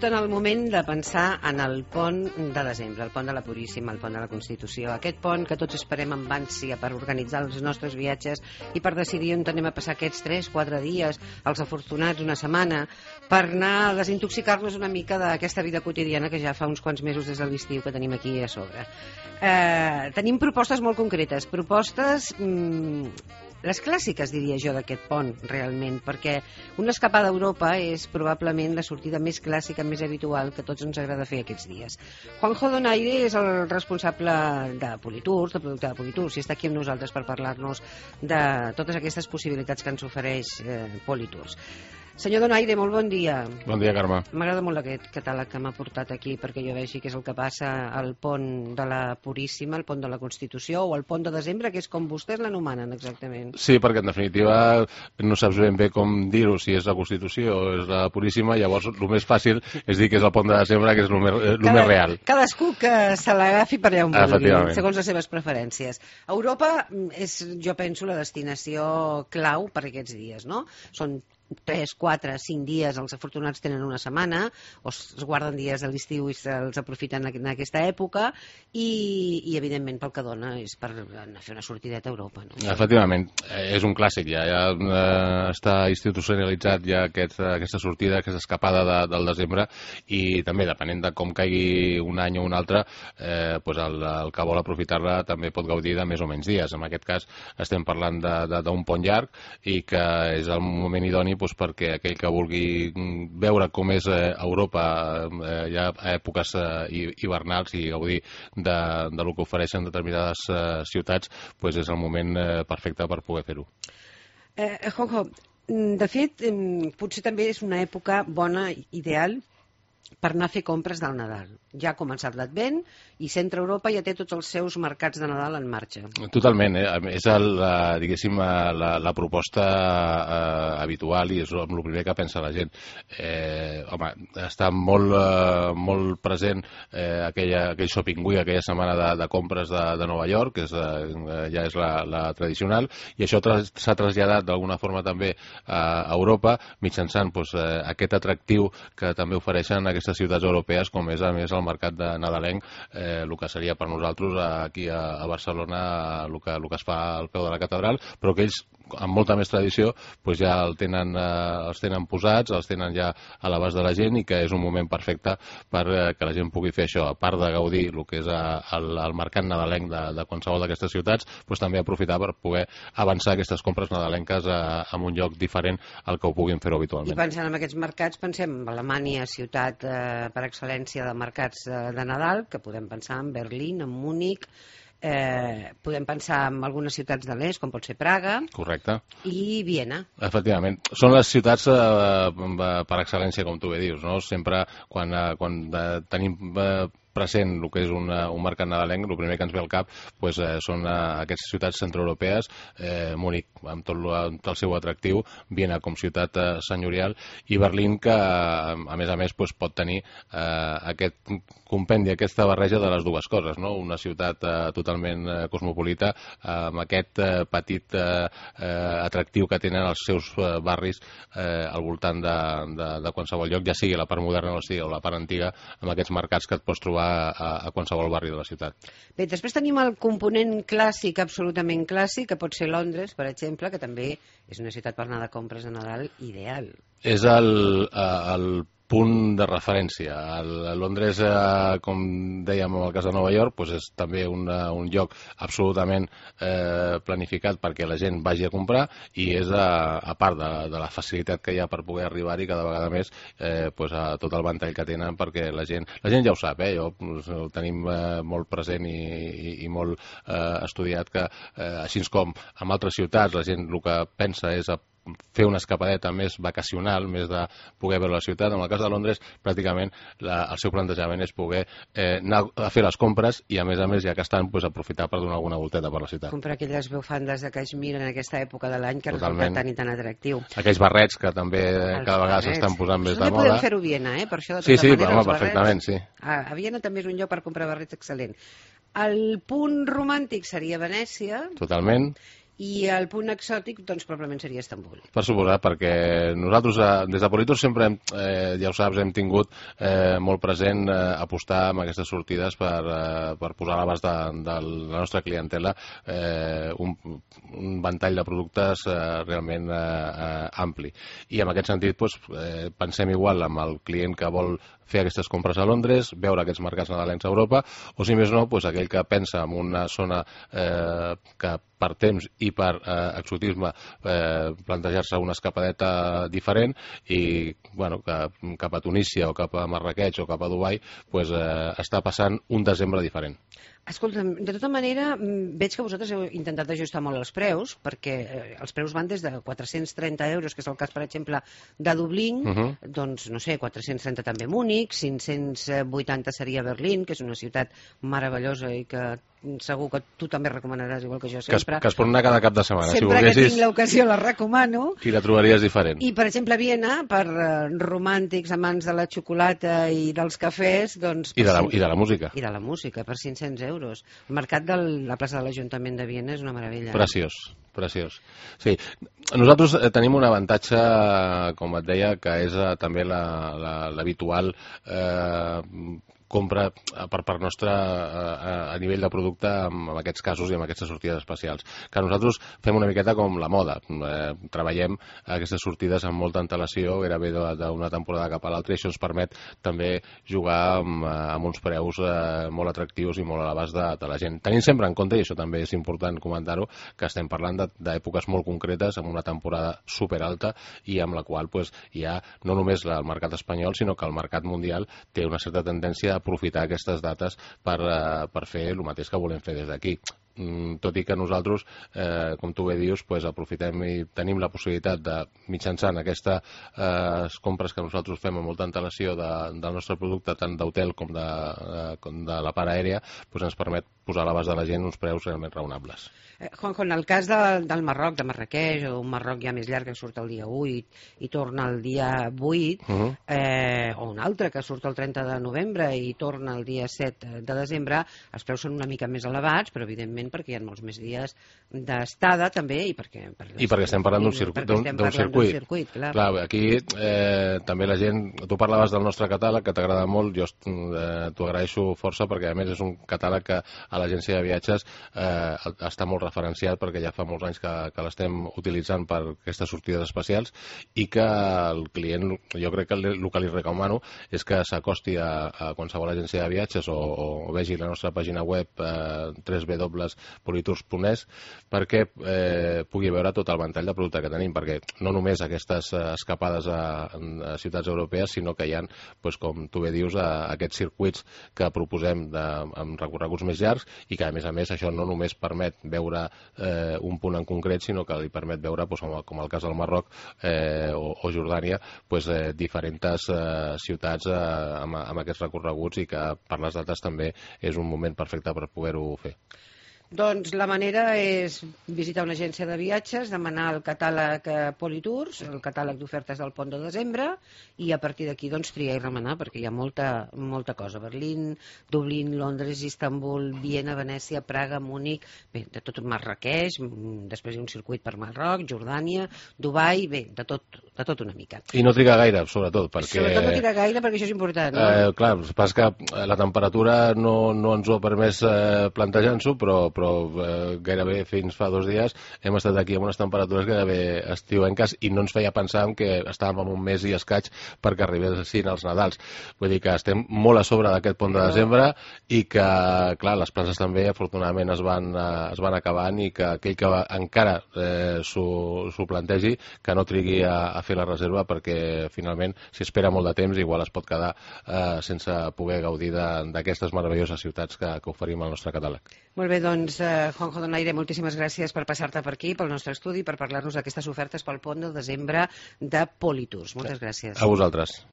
just en el moment de pensar en el pont de desembre, el pont de la Puríssima, el pont de la Constitució, aquest pont que tots esperem amb ànsia per organitzar els nostres viatges i per decidir on anem a passar aquests 3-4 dies, els afortunats una setmana, per anar a desintoxicar-nos una mica d'aquesta vida quotidiana que ja fa uns quants mesos des de l'estiu que tenim aquí a sobre. Tenim propostes molt concretes, propostes les clàssiques, diria jo, d'aquest pont, realment, perquè una escapada a Europa és probablement la sortida més clàssica, més habitual que a tots ens agrada fer aquests dies. Juanjo Donaire és el responsable de Politours, de producte de Politours, i està aquí amb nosaltres per parlar-nos de totes aquestes possibilitats que ens ofereix Politours. Senyor Donaire, molt bon dia. Bon dia, Carme. M'agrada molt aquest catàleg que m'ha portat aquí perquè jo vegi què és el que passa al pont de la Puríssima, al pont de la Constitució o al pont de desembre, que és com vostès l'anomenen exactament. Sí, perquè en definitiva no saps ben bé com dir-ho, si és la Constitució o és la Puríssima, llavors el més fàcil és dir que és el pont de desembre, que és el més real. Cadascú que se l'agafi per allà on vulgui, segons les seves preferències. Europa és, jo penso, la destinació clau per aquests dies, no? Són 3, 4, 5 dies, els afortunats tenen una setmana, o es guarden dies a l'estiu i se'ls aprofiten en aquesta època, i evidentment pel que dona és per anar a fer una sortideta a Europa. No? Efectivament, és un clàssic, ja està institucionalitzat ja aquesta sortida, aquesta escapada del desembre, i també depenent de com caigui un any o un altre, el que vol aprofitar-la també pot gaudir de més o menys dies. En aquest cas estem parlant d'un pont llarg i que és el moment idoni perquè aquell que vulgui veure com és Europa ja a èpoques hivernals i gaudir del que ofereixen determinades ciutats, és el moment perfecte per poder fer-ho. Juanjo, de fet, potser també és una època bona, ideal, per anar a fer compres del Nadal. Ja ha començat l'Advent i Centre Europa ja té tots els seus mercats de Nadal en marxa. Totalment, és diguéssim la proposta habitual i és el primer que pensa la gent. Està molt present aquell shopping week, aquella setmana de compres de Nova York, que ja és la tradicional, i això s'ha traslladat d'alguna forma també a Europa mitjançant aquest atractiu que també ofereixen aquestes ciutats europees, com és a més el mercat de nadalenc, el que seria per nosaltres aquí a Barcelona el que es fa al peu de la catedral, però que ells amb molta més tradició ja els tenen posats, els tenen ja a l'abast de la gent, i que és un moment perfecte per que la gent pugui fer això, a part de gaudir el que és el mercat nadalenc de qualsevol d'aquestes ciutats, també aprofitar per poder avançar aquestes compres nadalenques en un lloc diferent al que ho puguin fer habitualment. I pensant en aquests mercats, pensem en Alemanya, ciutat per excel·lència de mercats de Nadal, que podem pensar en Berlín, en Múnich, podem pensar en algunes ciutats de l'est, com pot ser Praga. Correcte. I Viena. Efectivament. Són les ciutats per excel·lència, com tu bé dius, no? Sempre quan tenim present el que és un mercat nadalenc, el primer que ens ve al cap són aquestes ciutats centroeuropees, Múnich amb tot el seu atractiu, Viena com ciutat senyorial, i Berlín, que a més pot tenir aquest compendi, aquesta barreja de les dues coses, no? Una ciutat totalment cosmopolita, amb aquest petit atractiu que tenen els seus barris al voltant de qualsevol lloc, ja sigui la part moderna o la part antiga, amb aquests mercats que et pots trobar a qualsevol barri de la ciutat. Bé, després tenim el component clàssic, absolutament clàssic, que pot ser Londres, per exemple, que també és una ciutat per anar de compres de Nadal ideal. És el punt de referència. Londres, com dèiem en el cas de Nova York, és també un lloc absolutament planificat perquè la gent vagi a comprar, i és a part de la facilitat que hi ha per poder arribar-hi cada vegada més, a tot el ventall que tenen, perquè la gent ja ho sap, ho tenim molt present i molt estudiat, que així com en altres ciutats la gent el que pensa és fer una escapadeta més vacacional, més de poder veure la ciutat. En el cas de Londres, pràcticament el seu plantejament és poder anar a fer les compres i, a més, ja que estan, aprofitar per donar alguna volteta per la ciutat. Comprar aquelles bufandes de caixmir en aquesta època de l'any que resulta tan i tan atractiu. Aquells barrets que també cada vegada s'estan posant més de moda. També podem fer-ho a Viena, per això de tota manera els perfectament, sí. A Viena també és un lloc per comprar barrets excel·lent. El punt romàntic seria Venècia. Totalment. I el punt exòtic, doncs, probablement seria Istanbul. Per suposat, perquè nosaltres des de Politour sempre, ja ho saps, hem tingut molt present apostar amb aquestes sortides per posar a l'abast de la nostra clientela un ventall de productes realment ampli. I en aquest sentit pensem igual amb el client que vol fer aquestes compres a Londres, veure aquests mercats nadalencs a Europa, o si més no, aquell que pensa en una zona que per temps i per exotisme plantejar-se una escapadeta diferent i que cap a Tunísia o cap a Marrakech o cap a Dubai està passant un desembre diferent. Escolta'm, de tota manera, veig que vosaltres heu intentat ajustar molt els preus, perquè els preus van des de 430 euros, que és el cas, per exemple, de Dublín, doncs, no sé, 430 també Múnich, 580 seria Berlín, que és una ciutat meravellosa i que segur que tu també recomanaràs, igual que jo sempre. Que es pot anar cada cap de setmana. Sempre que tinc l'ocasió la recomano. I la trobaries diferent. I, per exemple, Viena, per romàntics, amants de la xocolata i dels cafès, doncs... I de la música. I de la música, per 500 euros. El mercat de la plaça de l'Ajuntament de Viena és una meravella. Preciós. Sí, nosaltres tenim un avantatge, com et deia, que és també l'habitual compra per part nostra a nivell de producte en aquests casos i en aquestes sortides especials. Que nosaltres fem una miqueta com la moda. Treballem aquestes sortides amb molta antelació, gairebé d'una temporada cap a l'altra, i això ens permet també jugar amb uns preus molt atractius i molt a l'abast de la gent. Tenint sempre en compte, i això també és important comentar-ho, que estem parlant d'èpoques molt concretes, amb una temporada superalta i amb la qual hi ha no només el mercat espanyol, sinó que el mercat mundial té una certa tendència a aprofitar aquestes dates per fer el mateix que volem fer des d'aquí. Tot i que nosaltres, com tu bé dius, aprofitem i tenim la possibilitat de, mitjançant aquestes compres que nosaltres fem amb molta antelació del nostre producte, tant d'hotel com de la part aèria, ens permet posar a l'abast de la gent uns preus realment raonables. Juanjo, en el cas del Marroc, de Marrakech, o un Marroc ja més llarg que surt el dia 8 i torna el dia 8, o un altre que surt el 30 de novembre i torna el dia 7 de desembre, els preus són una mica més elevats, però evidentment perquè hi ha molts més dies d'estada també i perquè estem parlant d'un circuit. Clar, aquí també la gent, tu parlaves del nostre catàleg que t'agrada molt, jo t'ho agraeixo força perquè a més és un catàleg que a l'agència de viatges està molt referenciat perquè ja fa molts anys que l'estem utilitzant per aquestes sortides especials i que el client, jo crec que el que li recomano és que s'acosti a qualsevol agència de viatges o vegi la nostra pàgina web www.politours.es perquè pugui veure tot el ventall de producte que tenim, perquè no només aquestes escapades a ciutats europees, sinó que hi ha, com tu bé dius, aquests circuits que proposem amb recorreguts més llargs i que a més això no només permet veure un punt en concret, sinó que li permet veure, com el cas del Marroc o Jordània, diferents ciutats amb aquests recorreguts i que per les dates també és un moment perfecte per poder-ho fer. Doncs la manera és visitar una agència de viatges, demanar el catàleg Politours, el catàleg d'ofertes del pont de desembre, i a partir d'aquí triar i remenar, perquè hi ha molta cosa. Berlín, Dublín, Londres, Istanbul, Viena, Venècia, Praga, Múnich, bé, de tot Marrakech, després hi ha un circuit per Marroc, Jordània, Dubai, bé, de tot una mica. I no triga gaire, sobretot, perquè... Sobretot no triga gaire, perquè això és important, no? Clar, pas que la temperatura no ens ho ha permès plantejar-nos-ho, però gairebé fins fa 2 dies hem estat aquí amb unes temperatures gairebé estiuenques i no ens feia pensar que estàvem en un mes i escaig perquè arribessin els Nadals. Vull dir que estem molt a sobre d'aquest pont de desembre i que, clar, les places també afortunadament es van acabant i que aquell que encara s'ho plantegi que no trigui a fer la reserva perquè finalment si espera molt de temps igual es pot quedar sense poder gaudir d'aquestes meravelloses ciutats que oferim al nostre catàleg. Molt bé, doncs, Juanjo Donaire, moltíssimes gràcies per passar-te per aquí, pel nostre estudi, per parlar-nos d'aquestes ofertes pel pont de desembre de Politours. Moltes gràcies. A vosaltres.